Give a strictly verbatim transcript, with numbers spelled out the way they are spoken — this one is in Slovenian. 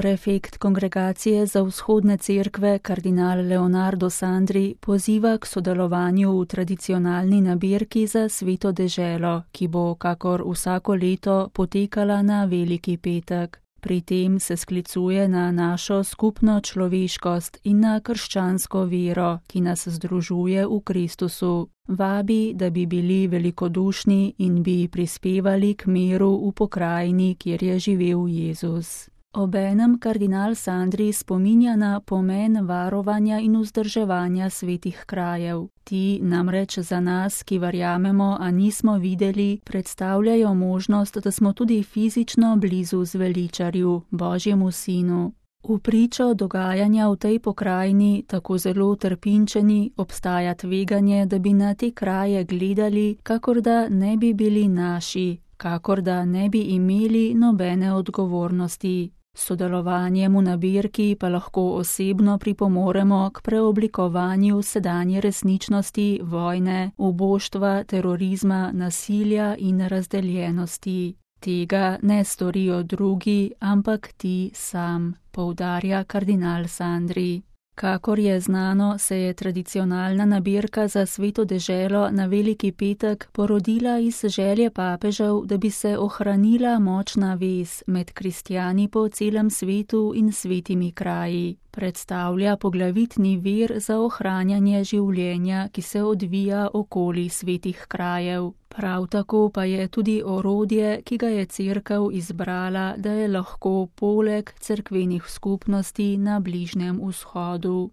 Prefekt Kongregacije za vzhodne cerkve kardinal Leonardo Sandri poziva k sodelovanju v tradicionalni nabirki za Sveto deželo, ki bo kakor vsako leto potekala na Veliki petek. Pri tem se sklicuje na našo skupno človeškost in na krščansko vero, ki nas združuje v Kristusu. Vabi, da bi bili velikodušni in bi prispevali k miru v pokrajini, kjer je živel Jezus. Obenem kardinal Sandri spominja na pomen varovanja in vzdrževanja svetih krajev. Ti namreč za nas, ki verjamemo, a nismo videli, predstavljajo možnost, da smo tudi fizično blizu zveličarju, Božjemu sinu. V pričo dogajanja v tej pokrajini, tako zelo trpinčeni, obstaja tveganje, da bi na te kraje gledali, kakor da ne bi bili naši, kakor da ne bi imeli nobene odgovornosti. S sodelovanjem v nabirki pa lahko osebno pripomoremo k preoblikovanju sedanje resničnosti vojne, uboštva, terorizma, nasilja in razdeljenosti. Tega ne storijo drugi, ampak ti sam, poudarja kardinal Sandri. Kakor je znano, se je tradicionalna nabirka za Sveto deželo na Veliki petek porodila iz želje papežev, da bi se ohranila močna vez med kristjani po celem svetu in svetimi kraji. Predstavlja poglavitni vir za ohranjanje življenja, ki se odvija okoli svetih krajev. Prav tako pa je tudi orodje, ki ga je cerkev izbrala, da je lahko poleg cerkvenih skupnosti na Bližnjem vzhodu.